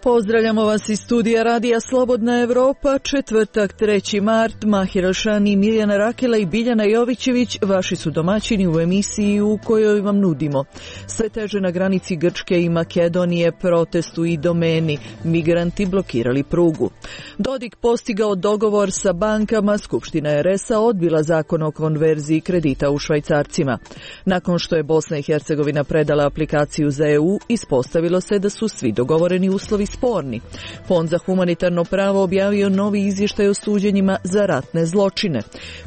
Pozdravljamo vas iz studija Radija Slobodna Evropa, četvrtak 3. mart, Mahir Alšani, Mirjana Rakela i Biljana Jovićević, vaši su domaćini u emisiji u kojoj vam nudimo. Sve teže na granici Grčke i Makedonije, protestu i domeni, migranti blokirali prugu. Dodik postigao dogovor sa bankama, Skupština RS-a odbila zakon o konverziji kredita u švajcarcima. Nakon što je Bosna i Hercegovina predala aplikaciju za EU, ispostavilo se da su svi dogovoreni uslovi sporni. Fond za humanitarno pravo objavio novi izvještaj o suđenjima za ratne zločine.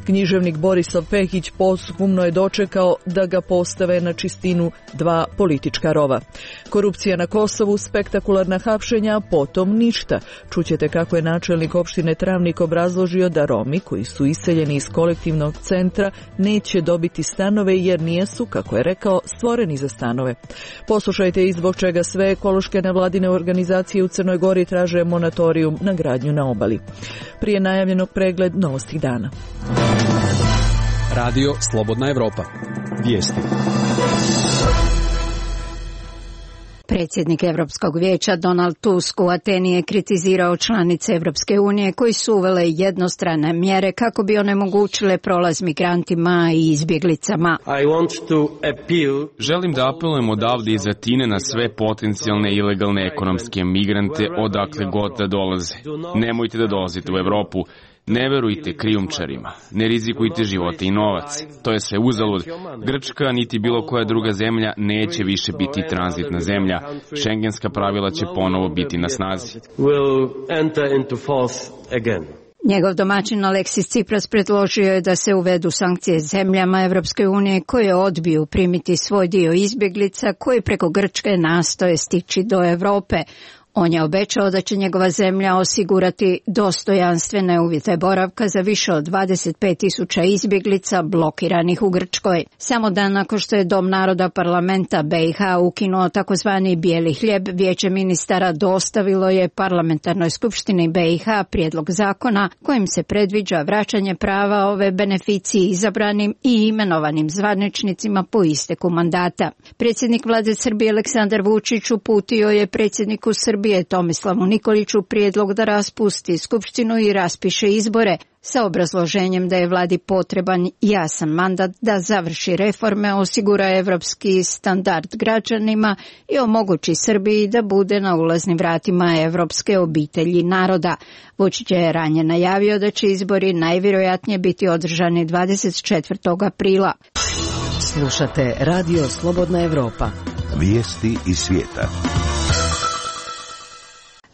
Književnik Borislav Pehić posthumno je dočekao da ga postave na čistinu dva politička rova. Korupcija na Kosovu, spektakularna hapšenja, potom ništa. Čućete kako je načelnik opštine Travnik obrazložio da Romi koji su iseljeni iz kolektivnog centra neće dobiti stanove jer nijesu, kako je rekao, stvoreni za stanove. Poslušajte i zbog čega sve ekološke nevladine organizacije u Crnoj Gori traže monatorijum na gradnju na obali. Prije najavljenog pregled novosti dana. Radio Slobodna Evropa. Vijesti. Predsjednik Europskog vijeća Donald Tusk u Ateni je kritizirao članice Europske unije koji su uvele jednostrane mjere kako bi onemogućile prolaz migrantima i izbjeglicama. Želim da apelujem odavde iz Atine na sve potencijalne ilegalne ekonomske migrante odakle god da dolaze. Nemojte da dolazite u Europu. Ne verujte krijumčarima, ne rizikujte živote i novac. To je sve uzalud. Grčka niti bilo koja druga zemlja neće više biti tranzitna zemlja. Šengenska pravila će ponovo biti na snazi. Njegov domaćin Aleksis Tsipras predložio je da se uvedu sankcije zemljama Europske unije koje odbiju primiti svoj dio izbjeglica koji preko Grčke nastoje stići do Europe. On je obećao da će njegova zemlja osigurati dostojanstvene uvjete boravka za više od 25.000 izbjeglica blokiranih u Grčkoj. Samo dan nakon što je Dom naroda parlamenta BiH ukinuo takozvani bijeli hljeb, Vijeće ministara dostavilo je parlamentarnoj skupštini BiH prijedlog zakona kojim se predviđa vraćanje prava ove beneficiji izabranim i imenovanim zvaničnicima po isteku mandata. Predsjednik vlade Srbije Aleksandar Vučić uputio je predsjedniku Srbije Tomislavu Nikoliću prijedlog da raspusti skupštinu i raspiše izbore sa obrazloženjem da je vladi potreban jasan mandat da završi reforme, osigura evropski standard građanima i omogući Srbiji da bude na ulaznim vratima evropske obitelji naroda. Vučić je ranije najavio da će izbori najvjerojatnije biti održani 24. aprila. Slušate Radio Slobodna Evropa. Vijesti iz svijeta.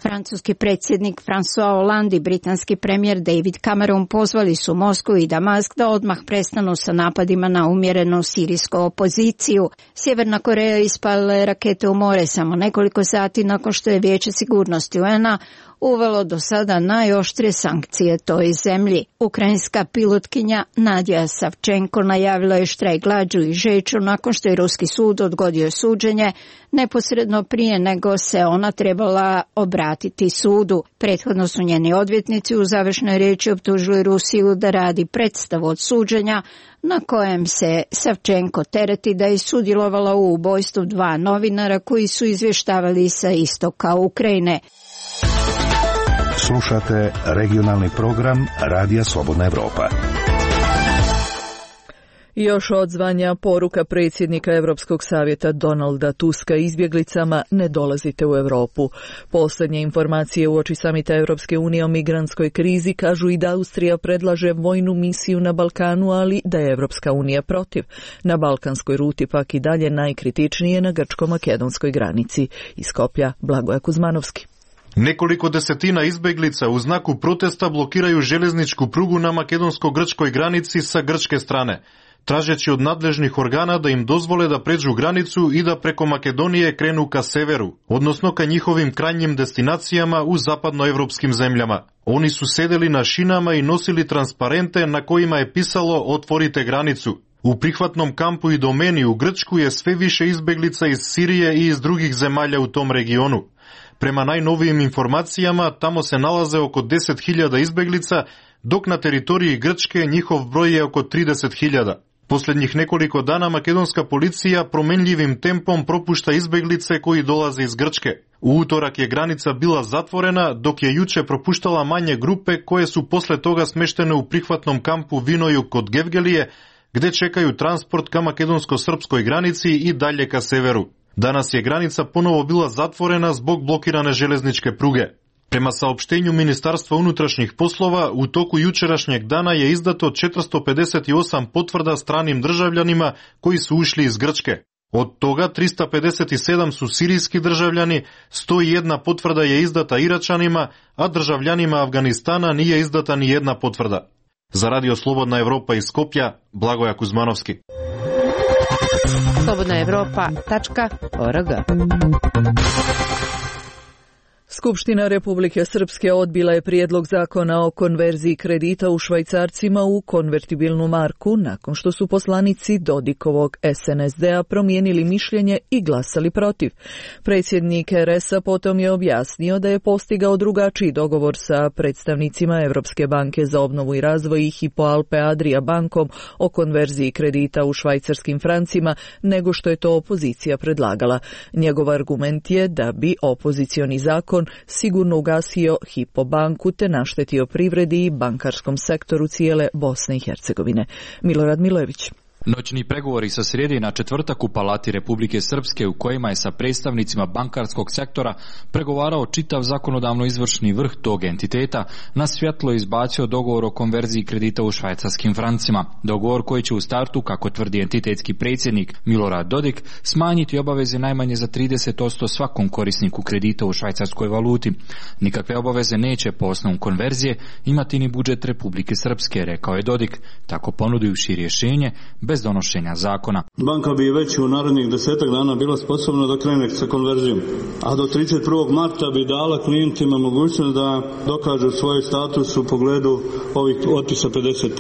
Francuski predsjednik François Hollande i britanski premijer David Cameron pozvali su Moskvu i Damask da odmah prestanu sa napadima na umjerenu sirijsku opoziciju. Sjeverna Koreja ispalila je rakete u more samo nekoliko sati nakon što je Vijeće sigurnosti UN-a uvelo do sada najoštrije sankcije toj zemlji. Ukrajinska pilotkinja Nadija Savčenko najavila je štrajk glađu i žeću nakon što je ruski sud odgodio suđenje neposredno prije nego se ona trebala obratiti sudu. Prethodno su njeni odvjetnici u završnoj riječi optužili Rusiju da radi predstavu od suđenja na kojem se Savčenko tereti da je sudjelovala u ubojstvu dva novinara koji su izvještavali sa istoka Ukrajine. Slušate regionalni program Radija Slobodna Evropa. Još odzvanja poruka predsjednika Europskog savjeta Donalda Tuska izbjeglicama: ne dolazite u Europu. Posljednje informacije uoči samita Europske unije o migrantskoj krizi kažu i da Austrija predlaže vojnu misiju na Balkanu, ali da je Europska unija protiv. Na balkanskoj ruti pak i dalje najkritičnije na grčko-makedonskoj granici. Iz Skoplja, Blagoja Kuzmanovski. Nekoliko desetina izbjeglica u znaku protesta blokiraju željezničku prugu na makedonsko-grčkoj granici sa grčke strane, tražeći od nadležnih organa da im dozvole da pređu granicu i da preko Makedonije krenu ka severu, odnosno ka njihovim krajnjim destinacijama u zapadnoevropskim zemljama. Oni su sedeli na šinama i nosili transparente na kojima je pisalo "Otvorite granicu". U prihvatnom kampu i domeni u Grčku je sve više izbjeglica iz Sirije i iz drugih zemalja u tom regionu. Prema najnovijim informacijama, tamo se nalaze oko 10.000 izbjeglica, dok na teritoriji Grčke njihov broj je oko 30.000. Последњих неколико дана македонска полиција променливим темпом пропушта избеглице кои долазе из Грчке. У уторак е граница била затворена, док ја јуче пропуштала мање групе кои су после тога смештени у прихватном кампу Винојук код Гевгелије, где чекају транспорт ка македонско-српској граници и далje ка северу. Данас е граница поново била затворена због блокиране железничке пруге. Према саопштењу Министарства унутрашних послова, у току јучерашњег дана е издато 458 потврда страним држављанима кои су ушли из Грчке. Од тога 357 су сиријски држављани, 101 потврда е издата ирачанима, а држављанима Авганистана не е издата ни една потврда. За Радио Слободна Европа из Скопје, Благоја Кузмановски. slobodnaevropa.org. Skupština Republike Srpske odbila je prijedlog zakona o konverziji kredita u švajcarcima u konvertibilnu marku nakon što su poslanici Dodikovog SNSD-a promijenili mišljenje i glasali protiv. Predsjednik RS-a potom je objasnio da je postigao drugačiji dogovor sa predstavnicima Europske banke za obnovu i razvoj i Hypo Alpe Adria bankom o konverziji kredita u švajcarskim francima nego što je to opozicija predlagala. Njegov argument je da bi opozicioni zakon sigurno ugasio Hypo banku te naštetio privredi i bankarskom sektoru cijele Bosne i Hercegovine. Milorad Milojević. Noćni pregovori sa srijede na četvrtak u Palati Republike Srpske u kojima je sa predstavnicima bankarskog sektora pregovarao čitav zakonodavno-izvršni vrh tog entiteta, na svjetlo izbacio dogovor o konverziji kredita u švajcarskim francima. Dogovor koji će u startu, kako tvrdi entitetski predsjednik Milorad Dodik, smanjiti obaveze najmanje za 30% svakom korisniku kredita u švajcarskoj valuti. Nikakve obaveze neće po osnovu konverzije imati ni budžet Republike Srpske, rekao je Dodik, tako ponudivši rješenje bez donošenja zakona. Banka bi već u narednih 10 dana bila sposobna da krene sa konverzijom, a do 31. marta bi dala klijentima mogućnost da dokažu svoj status u pogledu ovih otpisa 50%.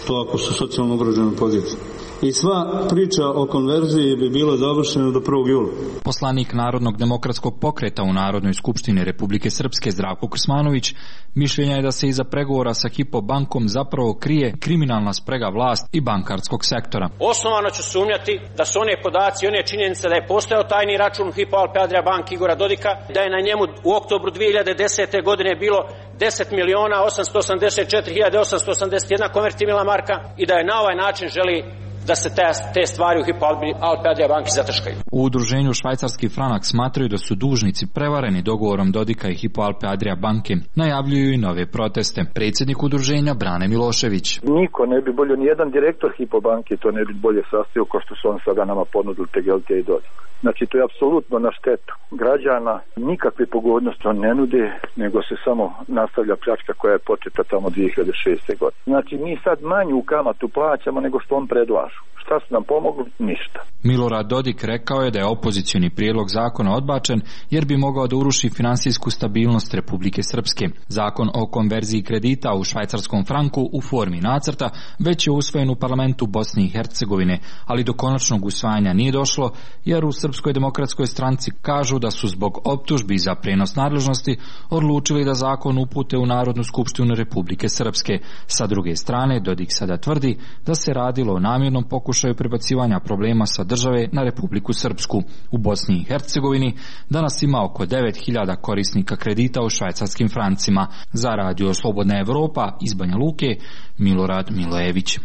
To ako su socijalno ugrožene pozicije. I sva priča o konverziji bi bila završena do 1. jula. Poslanik Narodnog demokratskog pokreta u Narodnoj skupštini Republike Srpske Zdravko Krsmanović mišljenja je da se iza pregovora sa Hypo bankom zapravo krije kriminalna sprega vlasti i bankarskog sektora. Osnovano ću sumnjati da su one podaci, one činjenice da je postojao tajni račun Hypo Alpe Adria bank Igora Dodika, da je na njemu u oktobru 2010. godine bilo 10.884.881 konvertibilna marka i da je na ovaj način želi da se te stvari u Hypo Alpe Adria banki zataškaju. U udruženju Švajcarski franak smatraju da su dužnici prevareni dogovorom Dodika i Hypo Alpe Adria banke. Najavljuju i nove proteste. Predsjednik udruženja Brane Milošević. Niko ne bi bolje, nijedan direktor Hypo banke to ne bi bolje sastavio kao što su on sada nama ponudili TGLT i Dodik. Znači to je apsolutno na štetu građana, nikakve pogodnosti on ne nude, nego se samo nastavlja pljačka koja je početa tamo 2006. godine. Znači mi sad manju kamatu plaćamo nego što on predlažu. Šta su nam pomogli? Ništa. Milorad Dodik rekao je da je opozicioni prijedlog zakona odbačen jer bi mogao da uruši finansijsku stabilnost Republike Srpske. Zakon o konverziji kredita u švajcarskom franku u formi nacrta već je usvojen u parlamentu Bosne i Hercegovine, ali do konačnog usvajanja nije došlo jer u Srpskoj demokratskoj stranci kažu da su zbog optužbi za prenos nadležnosti odlučili da zakon upute u Narodnu skupštinu Republike Srpske. Sa druge strane, Dodik sada tvrdi da se radilo o namjernom pokušaju prebacivanja problema sa države na Republiku Srpsku. U Bosni i Hercegovini danas ima oko 9.000 korisnika kredita u švajcarskim francima. Za Radio Slobodna Evropa iz Banja Luke, Milorad Milojević.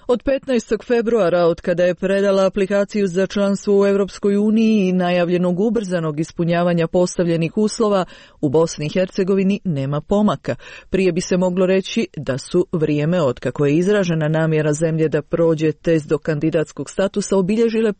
Od 15. februara, od kada je predala aplikaciju za članstvo u Europskoj uniji i najavljenog ubrzanog ispunjavanja postavljenih uslova, u Bosni i Hercegovini nema pomaka. Prije bi se moglo reći da su vrijeme otkako je izražena namjera zemlje da prođe test do kandidatskog statusa obilježile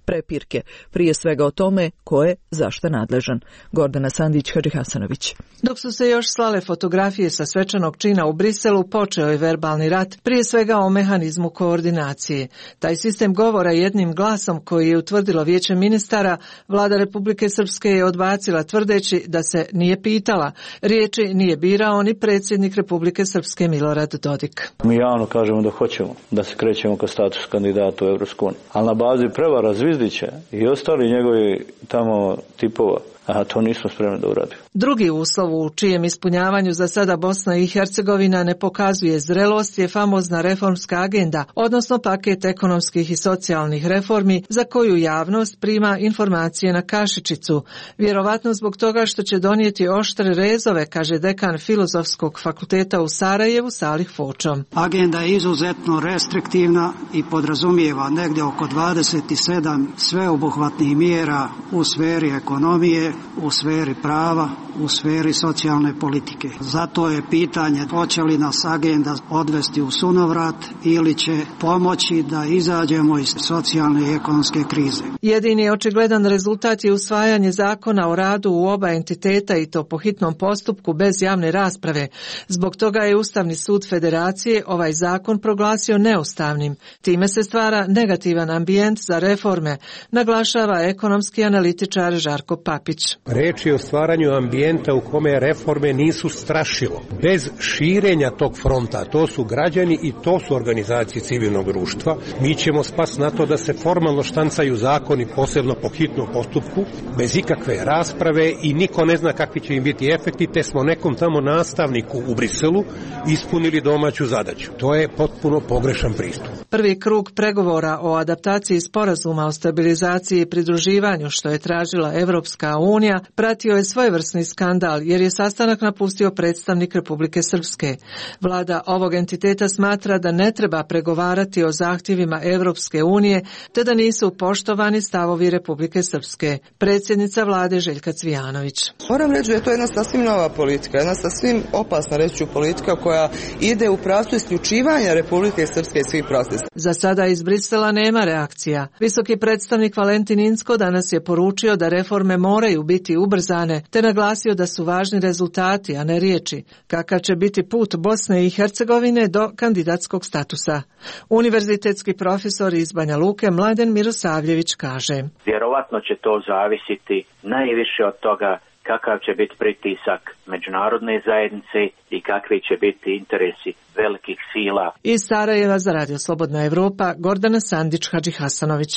prepirke. Prije svega o tome ko je zašta nadležan. Gordana Sandić-Hadžihasanović. Dok su se još slale fotografije sa svečanog čina u Briselu, počeo je verbalni rat, prije svega o mehanizmu koordinacije. Taj sistem govora jednim glasom koji je utvrdilo Vijeće ministara, vlada Republike Srpske je odbacila tvrdeći da se nije pitala. Riječi nije birao ni predsjednik Republike Srpske Milorad Dodik. Mi javno kažemo da hoćemo da se krećemo ka status kandidata u Evropsku uniju, ali na bazi prevara Zvizdića i ostali njegovi tamo tipova a to nismo spremni da uradimo. Drugi uslov u čijem ispunjavanju za sada Bosna i Hercegovina ne pokazuje zrelost je famozna reformska agenda, odnosno paket ekonomskih i socijalnih reformi za koju javnost prima informacije na kašičicu, vjerovatno zbog toga što će donijeti oštre rezove, kaže dekan Filozofskog fakulteta u Sarajevu Salih Fočo. Agenda je izuzetno restriktivna i podrazumijeva negdje oko 27 sveobuhvatnih mjera u sferi ekonomije, u sferi prava, u sferi socijalne politike. Zato je pitanje hoće li nas agenda odvesti u sunovrat ili će pomoći da izađemo iz socijalne i ekonomske krize. Jedini očigledan rezultat je usvajanje zakona o radu u oba entiteta i to po hitnom postupku bez javne rasprave. Zbog toga je Ustavni sud Federacije ovaj zakon proglasio neustavnim. Time se stvara negativan ambijent za reforme, naglašava ekonomski analitičar Žarko Papić. Reč je o stvaranju ambijenta u kome reforme nisu strašilo. Bez širenja tog fronta, to su građani i to su organizacije civilnog društva, mi ćemo spasti na to da se formalno štancaju zakoni, posebno po hitnom postupku, bez ikakve rasprave i niko ne zna kakvi će im biti efekti, te smo nekom tamo nastavniku u Briselu ispunili domaću zadaću. To je potpuno pogrešan pristup. Prvi krug pregovora o adaptaciji sporazuma o stabilizaciji i pridruživanju, što je tražila Evropska unija, pratio je svojevrsni skandal jer je sastanak napustio predstavnik Republike Srpske. Vlada ovog entiteta smatra da ne treba pregovarati o zahtjevima Evropske unije te da nisu poštovani stavovi Republike Srpske. Predsjednica vlade Željka Cvijanović. Moram reći da je to jedna sasvim nova politika, jedna sasvim opasna reći politika koja ide u pravcu isključivanja Republike Srpske i svih procesa. Za sada iz Brisela nema reakcija. Visoki predstavnik Valentin Inzko danas je poručio da reforme moraju biti ubrzane, te naglasio da su važni rezultati, a ne riječi. Kakav će biti put Bosne i Hercegovine do kandidatskog statusa? Univerzitetski profesor iz Banja Luke Mladen Mirosavljević kaže. Vjerovatno će to zavisiti najviše od toga kakav će biti pritisak međunarodne zajednice i kakvi će biti interesi velikih sila. Iz Sarajeva za Radio Slobodna Evropa, Gordana Sandić, Hadži Hasanović.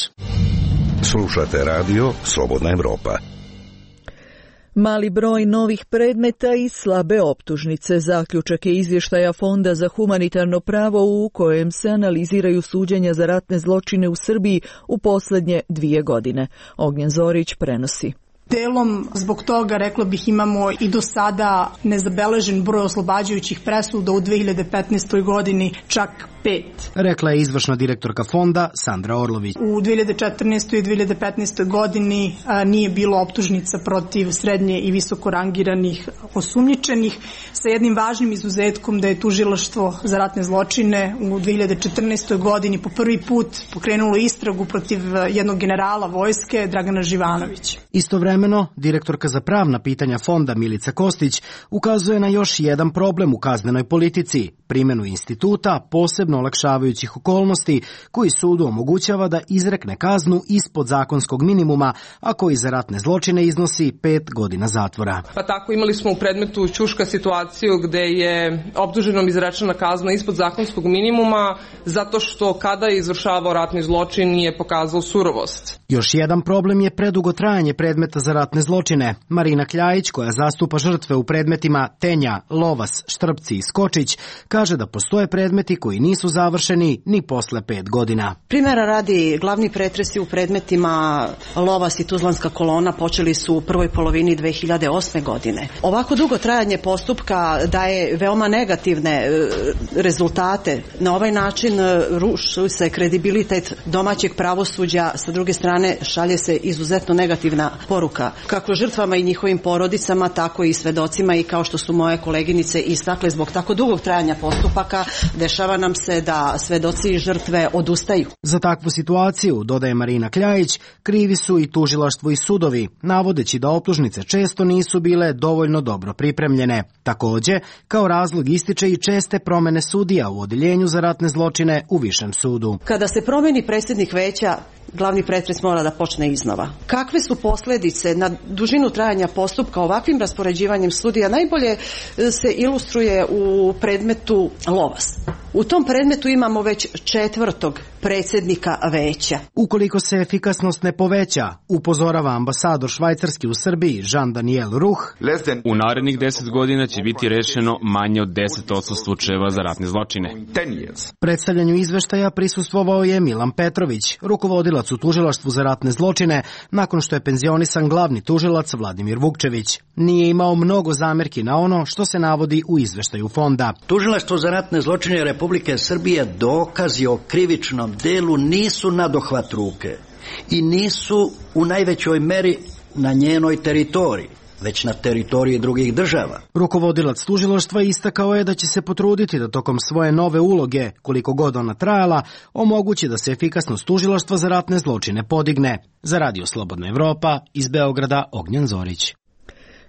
Slušate radio Slobodna Evropa. Mali broj novih predmeta i slabe optužnice. Zaključak je izvještaja Fonda za humanitarno pravo u kojem se analiziraju suđenja za ratne zločine u Srbiji u posljednje 2 godine. Ognjen Zorić prenosi. Delom zbog toga, rekla bih, imamo i do sada nezabeležen broj oslobađajućih presuda u 2015. godini, čak 5. Rekla je izvršna direktorka fonda Sandra Orlović. U 2014. i 2015. godini nije bilo optužnica protiv srednje i visoko rangiranih osumnjičenih, sa jednim važnim izuzetkom da je tužilaštvo za ratne zločine u 2014. godini po prvi put pokrenulo istragu protiv jednog generala vojske, Dragana Živanovića. Istovremeno, direktorka za pravna pitanja fonda Milica Kostić ukazuje na još jedan problem u kaznenoj politici, primjenu instituta posebno olakšavajućih okolnosti koji sudu omogućava da izrekne kaznu ispod zakonskog minimuma, a koji za ratne zločine iznosi 5 godina zatvora. Pa tako imali smo u predmetu Ćuška situaciju gde je optuženom izrečena kazna ispod zakonskog minimuma zato što kada je izvršavao ratni zločin nije pokazao surovost. Još jedan problem je predugo trajanje predmeta za ratne zločine. Marina Kljajić, koja zastupa žrtve u predmetima Tenja, Lovas, Štrpci i Skočić, kaže da postoje predmeti koji nisu završeni ni posle 5 godina. Primjera radi, glavni pretresi u predmetima Lovas i Tuzlanska kolona počeli su u prvoj polovini 2008. godine. Ovako dugo trajanje postupka daje veoma negativne rezultate. Na ovaj način ruši se kredibilitet domaćeg pravosuđa, sa druge strane šalje se izuzetno negativna poruka kako žrtvama i njihovim porodicama, tako i svedocima, i kao što su moje koleginice istakle, zbog tako dugog trajanja postupaka dešava nam se da svedoci i žrtve odustaju. Za takvu situaciju, dodaje Marina Kljajić, krivi su i tužilaštvo i sudovi, navodeći da optužnice često nisu bile dovoljno dobro pripremljene. Također, kao razlog ističe i česte promjene sudija u odeljenju za ratne zločine u Višem sudu. Kada se promijeni predsjednik veća, glavni pretres mora da počne iznova. Kakve su posljedice na dužinu trajanja postupka ovakvim raspoređivanjem sudija najbolje se ilustruje u predmetu Lovas. U tom predmetu imamo već 4. predsjednika veća. Ukoliko se efikasnost ne poveća, upozorava ambasador Švajcarski u Srbiji Jean-Daniel Ruch, u narednih 10 godina će biti rešeno manje od 10% slučajeva za ratne zločine. Predstavljanju izveštaja prisustvovao je Milan Petrović, rukovodilac u tužilaštvu za ratne zločine, nakon što je penzionisan glavni tužilac Vladimir Vukčević. Nije imao mnogo zamerki na ono što se navodi u izveštaju fonda. Tužilaštvo za ratne zločine Republike Srbije dokazi o krivičnom delu nisu nadohvat ruke i nisu u najvećoj meri na njenoj teritoriji, već na teritoriji drugih država. Rukovodilac tužilaštva istakao je da će se potruditi da tokom svoje nove uloge, koliko god ona trajala, omogući da se efikasnost tužilaštva za ratne zločine podigne. Za Radio Slobodna Evropa, iz Beograda, Ognjen Zorić.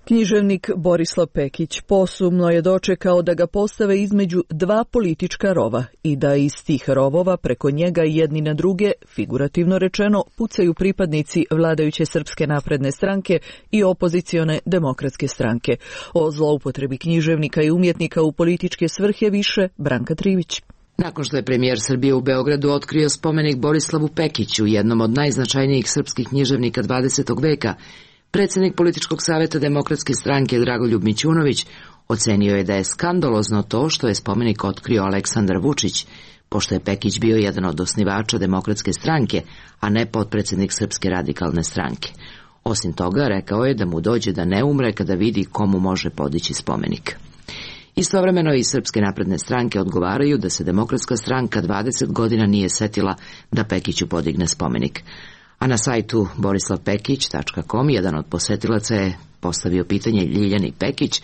Književnik Borislav Pekić posumno je dočekao da ga postave između 2 politička rova i da iz tih rovova preko njega jedni na druge, figurativno rečeno, pucaju pripadnici vladajuće Srpske napredne stranke i opozicione Demokratske stranke. O zloupotrebi književnika i umjetnika u političke svrhe više Branka Trivić. Nakon što je premijer Srbije u Beogradu otkrio spomenik Borislavu Pekiću, jednom od najznačajnijih srpskih književnika 20. veka, predsjednik Političkog savjeta Demokratske stranke Dragoljub Mićunović ocenio je da je skandalozno to što je spomenik otkrio Aleksandar Vučić, pošto je Pekić bio jedan od osnivača Demokratske stranke, a ne potpredsjednik Srpske radikalne stranke. Osim toga, rekao je da mu dođe da ne umre kada vidi komu može podići spomenik. Istovremeno i Srpske napredne stranke odgovaraju da se Demokratska stranka 20 godina nije setila da Pekiću podigne spomenik. A na sajtu borislavpekić.com jedan od posetilaca je postavio pitanje Ljiljani Pekić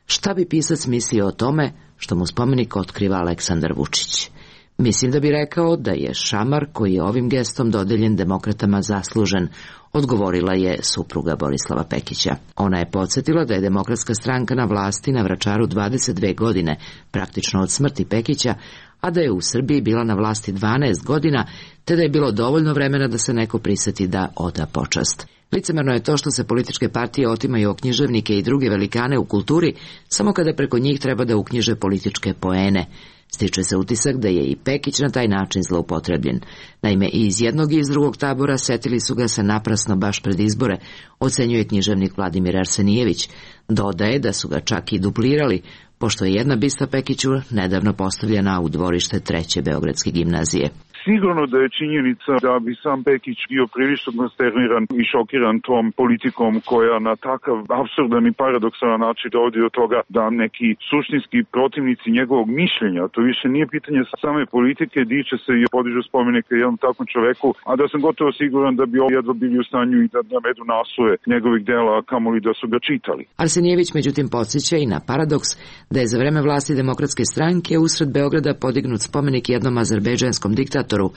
šta bi pisac mislio o tome što mu spomenik otkriva Aleksandar Vučić. Mislim da bi rekao da je šamar koji je ovim gestom dodeljen demokratama zaslužen, odgovorila je supruga Borislava Pekića. Ona je podsjetila da je Demokratska stranka na vlasti na Vračaru 22 godine, praktično od smrti Pekića, a da je u Srbiji bila na vlasti 12 godina, te da je bilo dovoljno vremena da se neko priseti da oda počast. Licemerno je to što se političke partije otimaju o književnike i druge velikane u kulturi, samo kada preko njih treba da uknjiže političke poene. Stiče se utisak da je i Pekić na taj način zloupotrebljen. Naime, i iz jednog i iz drugog tabora setili su ga se naprasno baš pred izbore, ocenjuje književnik Vladimir Arsenijević. Dodaje da su ga čak i duplirali, pošto je jedna bista Pekiću nedavno postavljena u dvorište 3. Beogradske gimnazije. Sigurno da je činjenica da bi sam Pekić bio prilično konsterniran i šokiran tom politikom koja na takav apsurdan i paradoksalan način dovodi do toga da neki suštinski protivnici njegovog mišljenja, to više nije pitanje same politike, diče se i podižu spomenike jednom takvom čoveku, a da sam gotovo siguran da bi jedva bili u stanju i da navedu naslove njegovih dela, a kamoli da su ga čitali. Arsenijević međutim podsjeća i na paradoks da je za vreme vlasti Demokratske stranke usred Beograda podignut spomenik jednom azerbejdžanskom diktatoru,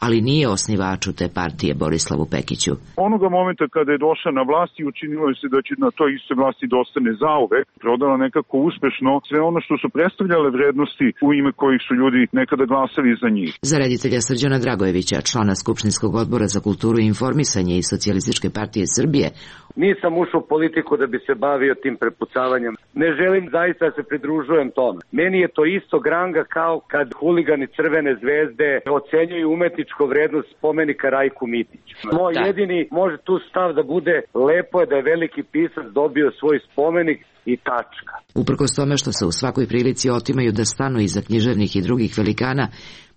ali nije osnivaču te partije Borislavu Pekiću. Onoga momenta kada je došla na vlast i učinilo se da će na toj istoj vlasti da ostane zauvek, prodala nekako uspešno sve ono što su predstavljale vrednosti u ime kojih su ljudi nekada glasali za njih. Za reditelja Srđana Dragojevića, člana Skupštinskog odbora za kulturu i informisanje i Socijalističke partije Srbije, nisam ušao u politiku da bi se bavio tim prepucavanjem. Ne želim zaista da se pridružujem tome. Meni je to isto granga kao kad huligani Crvene zvezde ocenjuju umetničku vrednost spomenika Rajku Mitiću. Moj jedini može tu stav da bude lepo je da je veliki pisac dobio svoj spomenik i tačka. Uprkos tome što se u svakoj prilici otimaju da stanu iza književnih i drugih velikana,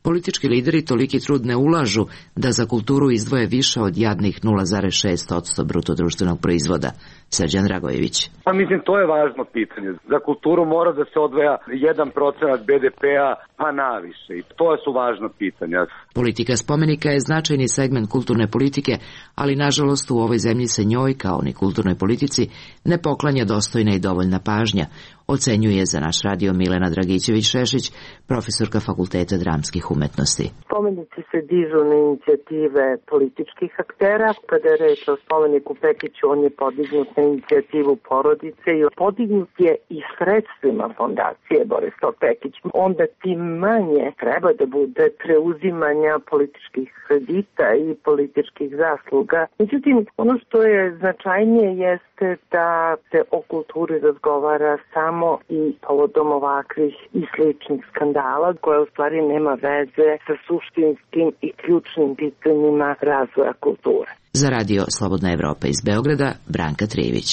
politički lideri toliki trud ne ulažu da za kulturu izdvoje više od jadnih 0,6% bruto društvenog proizvoda. Srđan Dragojević. Pa mislim, to je važno pitanje. Za kulturu mora da se odvaja 1% BDP-a, pa naviše. I to su važna pitanja. Politika spomenika je značajni segment kulturne politike, ali nažalost u ovoj zemlji se njoj, kao ni kulturnoj politici, ne poklanja dostojna i dovoljna pažnja, ocenjuje za naš radio Milena Dragićević-Šešić, profesorka Fakulteta dramskih umetnosti. Spomenici se dižu na inicijative političkih aktera. Kada je reč o spomeniku Pekiću, on je podignut na inicijativu porodice i podignut je i sredstvima fondacije Borislav Pekić. Onda tim manje treba da bude preuzimanja političkih kredita i političkih zasluga. Međutim, ono što je značajnije jeste da se o kulturi razgovara samo samo i povodom ovakvih i sličnih skandala koje u stvari nema veze sa suštinskim i ključnim pitanjima razvoja kulture. Za radio Slobodna Evropa iz Beograda, Branka Trijević.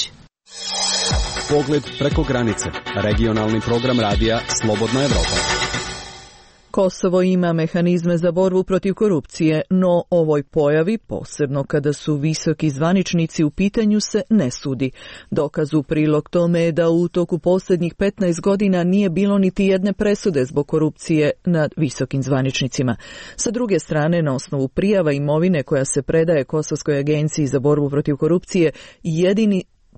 Pogled preko granice. Regionalni program radija Slobodna Evropa. Kosovo ima mehanizme za borbu protiv korupcije, no ovoj pojavi, posebno kada su visoki zvaničnici u pitanju, se ne sudi. Dokaz u prilog tome je da u toku posljednjih 15 godina nije bilo niti jedne presude zbog korupcije nad visokim zvaničnicima. Sa druge strane, na osnovu prijava imovine koja se predaje Kosovskoj agenciji za borbu protiv korupcije,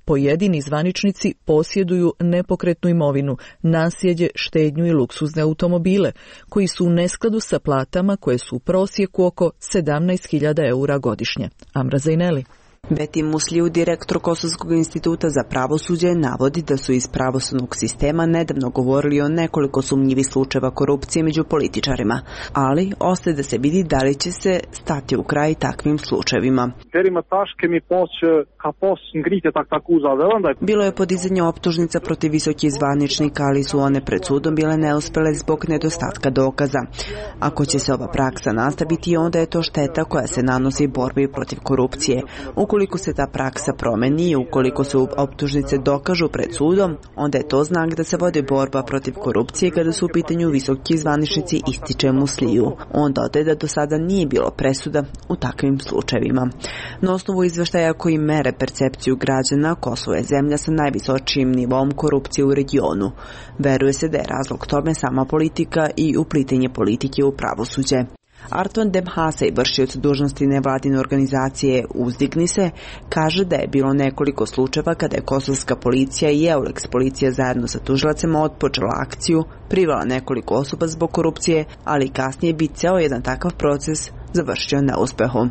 pojedini zvaničnici posjeduju nepokretnu imovinu, naslijeđe, štednju i luksuzne automobile, koji su u neskladu sa platama koje su u prosjeku oko 17.000 eura godišnje. Amra Zajneli. Beti Musliju, direktor Kosovskog instituta za pravosuđe, navodi da su iz pravosudnog sistema nedavno govorili o nekoliko sumnjivih slučajeva korupcije među političarima, ali ostaje da se vidi da li će se stati u kraj takvim slučajevima. Bilo je podizanje optužnica protiv visokih zvaničnika, ali su one pred sudom bile neuspele zbog nedostatka dokaza. Ako će se ova praksa nastaviti, onda je to šteta koja se nanosi borbi protiv korupcije. Ukoliko se ta praksa promeni i ukoliko se optužnice dokažu pred sudom, onda je to znak da se vodi borba protiv korupcije kada su u pitanju visoki zvaničnici, ističe Musliju. On dodaje da do sada nije bilo presuda u takvim slučajevima. Na osnovu izveštaja koji mere percepciju građana, Kosovo je zemlja sa najvisočijim nivom korupcije u regionu. Veruje se da je razlog tome sama politika i uplitanje politike u pravosuđe. Arton Demhasej, vršioc dužnosti nevladine organizacije Uzdigni se, kaže da je bilo nekoliko slučajeva kada je kosovska policija i Eulex policija zajedno sa tužilacima otpočela akciju, privela nekoliko osoba zbog korupcije, ali kasnije bi ceo jedan takav proces završio neuspehom.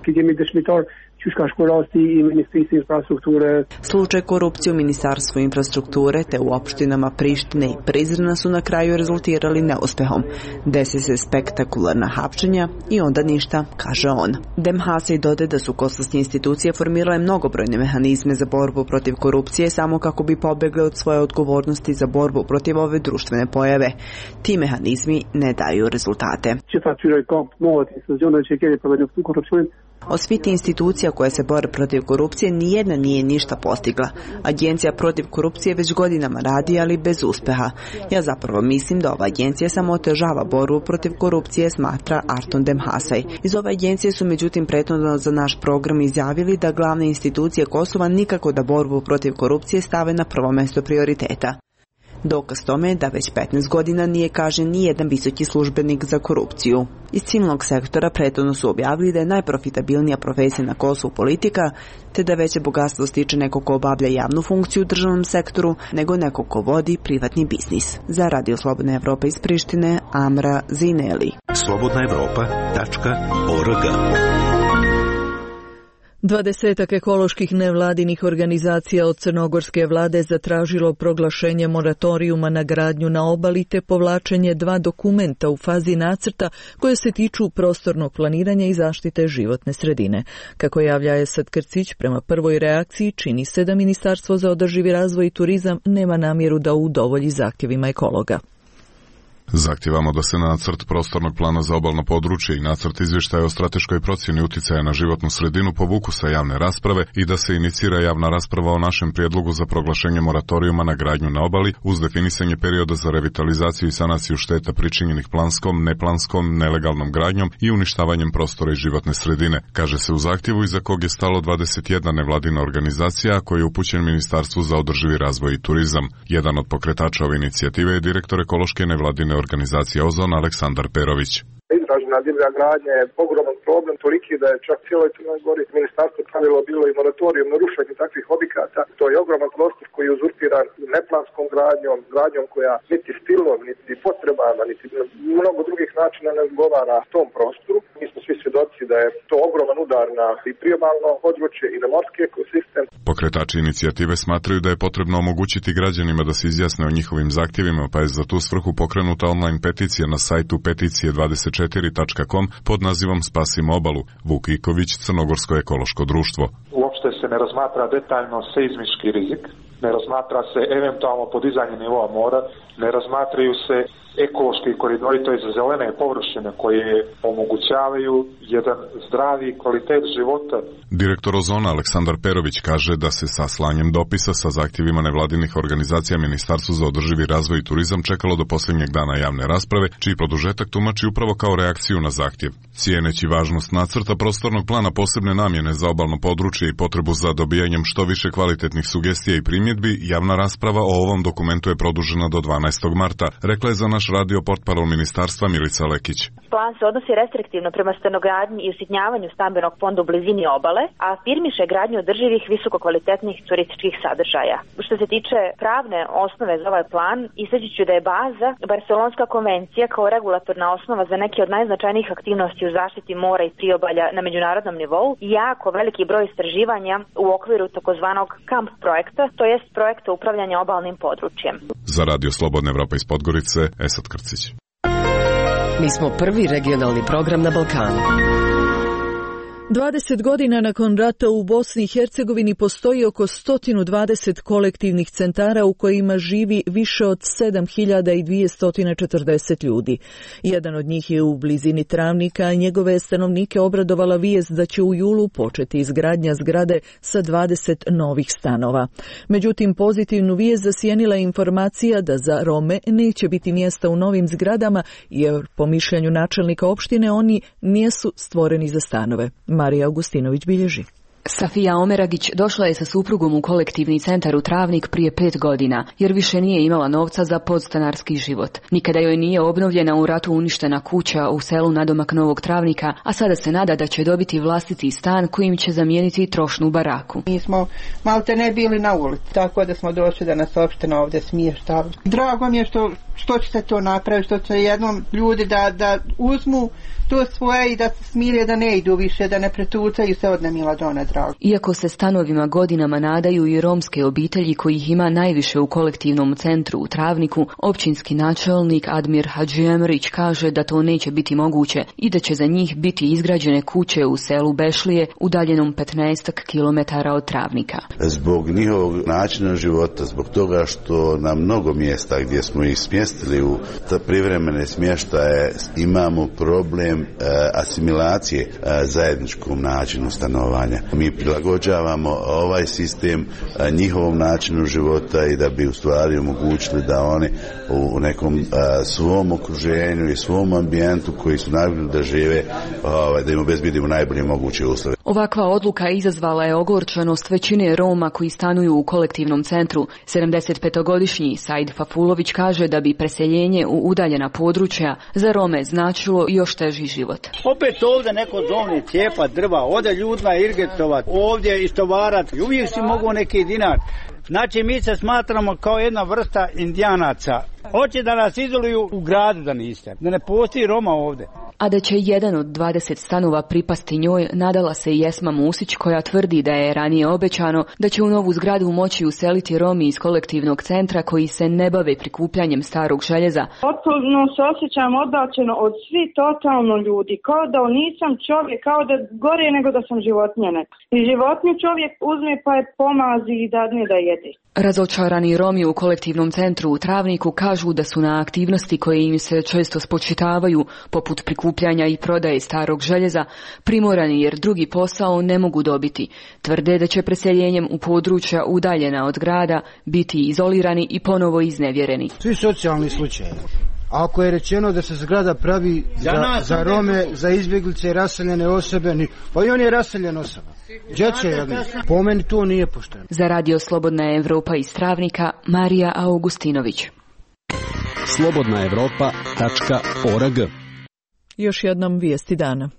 Slučaj korupcije u Ministarstvu infrastrukture te u opštinama Prištine i Prizrena su na kraju rezultirali neuspehom. Desi se spektakularna hapšenja i onda ništa, kaže on. Demhasej dodaje da su kosovske institucije formirale mnogobrojne mehanizme za borbu protiv korupcije samo kako bi pobegle od svoje odgovornosti za borbu protiv ove društvene pojave. Ti mehanizmi ne daju rezultate. Od svih institucija koje se bore protiv korupcije, nijedna nije ništa postigla. Agencija protiv korupcije već godinama radi, ali bez uspeha. Ja zapravo mislim da ova agencija samo otežava borbu protiv korupcije, smatra Arton Demhasej. Iz ove agencije su međutim prethodno za naš program izjavili da glavne institucije Kosova nikako da borbu protiv korupcije stave na prvo mesto prioriteta. Dokaz tome je da već 15 godina nije kažnjen ni jedan visoki službenik za korupciju. Iz civilnog sektora prethodno su objavili da je najprofitabilnija profesija na Kosovu politika, te da veće bogatstvo stiče neko ko obavlja javnu funkciju u državnom sektoru, nego neko ko vodi privatni biznis. Za Radio Slobodna Evropa iz Prištine, Amra Zineli. slobodnaevropa.org 20 ekoloških nevladinih organizacija od crnogorske vlade zatražilo proglašenje moratorijuma na gradnju na obali te povlačenje 2 dokumenta u fazi nacrta koje se tiču prostornog planiranja i zaštite životne sredine. Kako javlja Esad Krcić, prema prvoj reakciji čini se da Ministarstvo za održivi razvoj i turizam nema namjeru da udovolji zahtjevima ekologa. Zahtijevamo da se nacrt prostornog plana za obalno područje i nacrt izvještaja o strateškoj procjeni uticaja na životnu sredinu povuku sa javne rasprave i da se inicira javna rasprava o našem prijedlogu za proglašenje moratorijuma na gradnju na obali uz definisanje perioda za revitalizaciju i sanaciju šteta pričinjenih planskom, neplanskom, nelegalnom gradnjom i uništavanjem prostora i životne sredine, kaže se u zahtjevu iza kog je stalo 21 nevladina organizacija koji je upućen Ministarstvu za održivi razvoj i turizam. Jedan od pokretača ove inicijative je direktor ekološke nevladine organizacije Ozon Aleksandar Perović. Izražena divlja gradnja je ogroman problem, toliki da je čak cijeloj Crnoj Gori ministarstvo pravilo bilo i moratorijum na rušenje takvih objekata. To je ogroman prostor koji je uzurpiran neplanskom gradnjom koja niti stilom, niti potrebama, niti mnogo drugih načina ne odgovara tom prostoru. Mi smo svi svjedoci da je to ogroman udar na i priobalno područje i na morski ekosistem. Pokretači inicijative smatraju da je potrebno omogućiti građanima da se izjasne o njihovim zahtjevima, pa je za tu svrhu pokrenuta online peticija na sajtu peticije24.com pod nazivom Spasimo obalu. Vuk Iković, Crnogorsko ekološko društvo. Uopšte se ne razmatra detaljno seizmički rizik ne razmatra se eventualno podizanje nivoa mora, ne razmatraju se ekološki koridori, to je za zelene površine koje omogućavaju jedan zdravi kvalitet života. Direktor Ozona Aleksandar Perović kaže da se sa slanjem dopisa sa zahtjevima nevladinih organizacija Ministarstvu za održivi razvoj i turizam čekalo do posljednjeg dana javne rasprave, čiji produžetak tumači upravo kao reakciju na zahtjev. Cijeneći važnost nacrta prostornog plana posebne namjene za obalno područje i potrebu za dobijanjem što više kvalitetnih sugestija i primjedbi, javna rasprava o ovom dokumentu je produžena do 12. marta, rekla je za naš radio portparol ministarstva Milica Lekić. Plan se odnosi restriktivno prema stanogradnji i usitnjavanju stambenog fonda u blizini obale, a afirmiše gradnju održivih visokokvalitetnih turističkih sadržaja. Što se tiče pravne osnove za ovaj plan, istaći ću da je baza Barcelonska konvencija kao regulatorna osnova za neke od najznačajnijih aktivnosti u zaštiti mora i priobalja na međunarodnom nivou i jako veliki broj istraživanja u okviru takozvanog KAMP projekta, to jest projekta upravljanja obalnim područjem. Za Radio Slobodna Evropa iz Podgorice, Esad Krcić. Mi smo prvi regionalni program na Balkanu. 20 godina nakon rata u Bosni i Hercegovini postoji oko 120 kolektivnih centara u kojima živi više od 7240 ljudi. Jedan od njih je u blizini Travnika, a njegove stanovnike obradovala vijest da će u julu početi izgradnja zgrade sa 20 novih stanova. Međutim, pozitivnu vijest zasjenila je informacija da za Rome neće biti mjesta u novim zgradama, jer po mišljenju načelnika opštine oni nisu stvoreni za stanove. Marija Augustinović bilježi. Safija Omeragić došla je sa suprugom u kolektivni centar u Travnik prije 5 godina, jer više nije imala novca za podstanarski život. Nikada joj nije obnovljena u ratu uništena kuća u selu nadomak Novog Travnika, a sada se nada da će dobiti vlastiti stan kojim će zamijeniti trošnu baraku. Mi smo malte ne bili na ulici, tako da smo došli da nas opština ovdje smještava. Drago mi je što će se to napraviti, što će jednom ljudi da uzmu to svoje i da se smire, da ne idu više, da ne pretucaju se od nemila dona drago. Iako se stanovima godinama nadaju i romske obitelji kojih ima najviše u kolektivnom centru u Travniku, općinski načelnik Admir Hadžijemrić kaže da to neće biti moguće i da će za njih biti izgrađene kuće u selu Bešlije, udaljenom 15 km od Travnika. Zbog njihovog načina života, zbog toga što na mnogo mjesta gdje smo ih smjestili u privremene smještaje imamo problem asimilacije zajedničkom načinu stanovanja. Mi prilagođavamo ovaj sistem njihovom načinu života i da bi u stvari omogućili da oni u nekom svom okruženju i svom ambijentu koji su navikli da žive, da im obezbedimo najbolje moguće uslove. Ovakva odluka izazvala je ogorčenost većine Roma koji stanuju u kolektivnom centru. 75-godišnji Said Fafulović kaže da bi preseljenje u udaljena područja za Rome značilo još teži život. Opet ovdje neko zovni cijepa drva, ode ljudima irgetovat, ovdje istovarat i uvijek si mogu neki dinar. Znači mi se smatramo kao jedna vrsta indijanaca. Hoće da nas izoluju u gradu da niste, da ne postoji Roma ovdje. A da će jedan od 20 stanova pripasti njoj, nadala se i Esma Musić, koja tvrdi da je ranije obećano da će u novu zgradu moći useliti Romi iz kolektivnog centra koji se ne bave prikupljanjem starog željeza. Potpuno se osjećam odbačeno od svi totalno ljudi, kao da nisam čovjek, kao da gore nego da sam životinja neka. I životinju čovjek uzme pa je pomazi i dadne da jede. Razočarani Romi u kolektivnom centru u Travniku kažu da su na aktivnosti koje im se često spočitavaju, poput prikupljanja i prodaje starog željeza, primorani jer drugi posao ne mogu dobiti. Tvrde da će preseljenjem u područja udaljena od grada biti izolirani i ponovo iznevjereni. Svi socijalni slučajevi. Ako je rečeno da se zgrada pravi za Rome, za izbjeglice i raseljene osobe, pa i on je raseljen osoba. Dječe jedno. Po meni to nije pošteno. Za Radio Slobodna Evropa iz Travnika, Marija Augustinović. slobodnaevropa.org. Još jednom vijesti dana.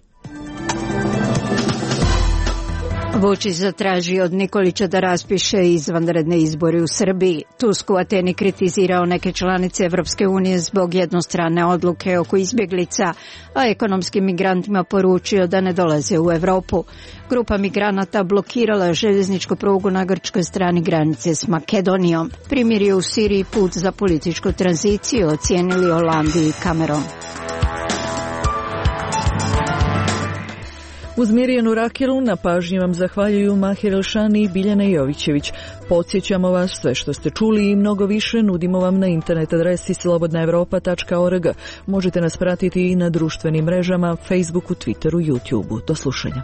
Vučić zatražio od Nikolića da raspiše izvanredne izbore u Srbiji. Tusk u Ateni kritizirao neke članice Evropske unije zbog jednostrane odluke oko izbjeglica, a ekonomskim migrantima poručio da ne dolaze u Evropu. Grupa migranata blokirala željezničku prugu na grčkoj strani granice s Makedonijom. Primirje u Siriji put za političku tranziciju, ocijenili Holandu i Kamerun. Uz Mirjanu Rakilu na pažnji vam zahvaljuju Mahir Elšani i Biljana Jovićević. Podsjećamo vas, sve što ste čuli i mnogo više nudimo vam na internet adresi slobodnaevropa.org. Možete nas pratiti i na društvenim mrežama, Facebooku, Twitteru, YouTubeu. Do slušanja.